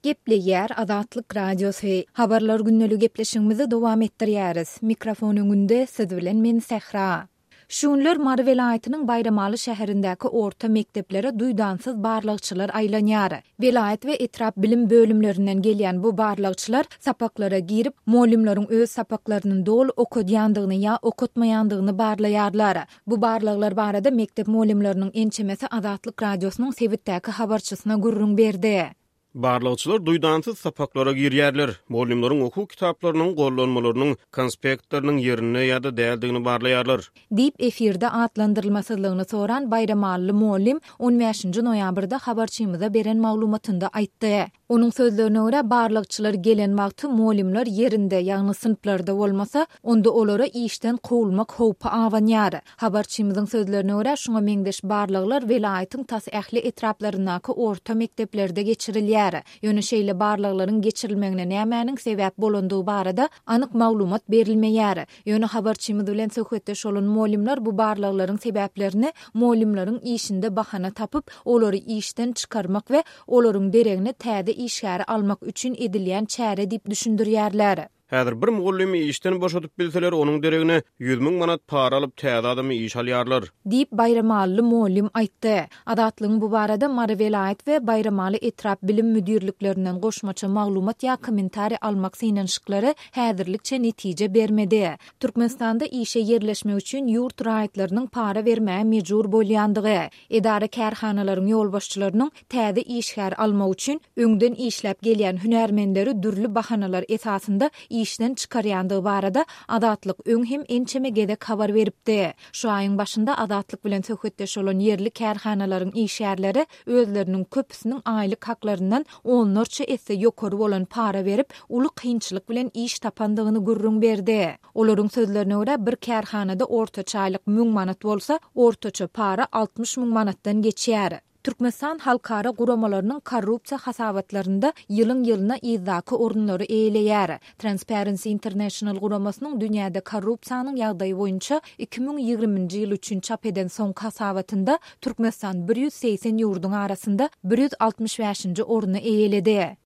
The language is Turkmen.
Gepleýär Azatlyk Radiosy. Habarlar gündeligi gepleşigimizi dowam etdirýäris. Mikrofon öňünde siz bilen men Sähra. Şu günler Mary welaýatynyň Baýramaly şäherindäki orta mekdeplere duýdansyz barlagçylar aýlanýar. Welaýat we etrap bilim bölümlerinden gelýän bu barlagçylar sapaklara girip, mugallymlaryň öz sapaklaryny doly okadýandygyny ýa okatmaýandygyny barlaýarlar. Bu barlaglar barada mekdep mugallymlarynyň ençemesi Azatlyk Radiosynyň sebitdäki habarçysyna gürrüň berdi. Barlagçylar duýdansyz sapaklara girýärler, mugallymlaryň okuw kitaplarynyň, gollanmalarynyň, konspektleriniň ýerinde ýa-da däldigini barlaýarlar. Diýip, efirde atlandyrylmasyzlygyny soran baýramalyly mugallym on bäşinji noýabrda habarçymyza beren maglumatynda aýtdy. Onuň sözlerine görä, barlagçylar gelen wagty mugallymlar ýerinde, ýagny synplarda bolmasa, onda olara işden kowulmak howpy abanýar. Habarçymyzyň sözlerine görä, şuňa meňzeş barlaglar welaýatyň tas ähli etraplaryndaky orta mekdeplerde geçirilýär. Ýöne şeýle barlaglaryň geçirilmegine nämäniň sebäp bolandygy barada anyk maglumat berilmeýär. Ýöne habarçymyz bilen söhbetdeş bolan mugallymlar bu barlaglaryň sebäplerini mugallymlaryň işinde bahana tapyp, olary işden çykarmak we olaryň deregine täze işgäri almak üçin edilýän çäre diýip düşündirýärler. Häzir bir mugallymy işden boşadyp bilseler, onuň deregine 100 000 manat para alyp, täze adamy işe alýarlar. Diýip, baýramalyly mugallym aýtdy. Azatlygyň bu barada Mary welaýat we Baýramaly etrap bilim müdirliklerinden goşmaça maglumat ýa kommentariý almak synanyşyklary häzirlikçe netije bermedi. Türkmenistanda işe ýerleşmek üçin ýurt raýatlarynyň para bermäge mejbur bolýandygy, Edara-kärhanalaryň ýolbaşçylarynyň täze işgär almak üçin öňden işläp gelýän hünärmenleri dürli bahanalar esasynda işden çykarýandygy barada Azatlyk öň hem ençeme gezek habar beripdi. Şu aýyň başynda Azatlyk bilen söhbetdeş bolan ýerli kärhanalaryň işgärleri özleriniň köpüsiniň aýlyk haklaryndan onlarça esse ýokary bolan para berip, uly kynçylyk bilen iş tapandygyny gürrüň berdi. Olaryň sözlerine görä, bir kärhanada ortaça aýlyk müň manat bolsa, ortaça para 60 müň manatdan geçýär. Türkmenistan halkara guramalarynyň korrupsiýa hasabatlarynda ýylyň-ýylyna yzdaky orunlary eýeleýär. Transparency International guramasynyň dünýäde korrupsiýanyň ýagdaýy boýunça 2020-nji ýyl üçin çap eden soňky hasabatynda Türkmenistan 180 ýurduň arasynda 165-nji orny eýeledi.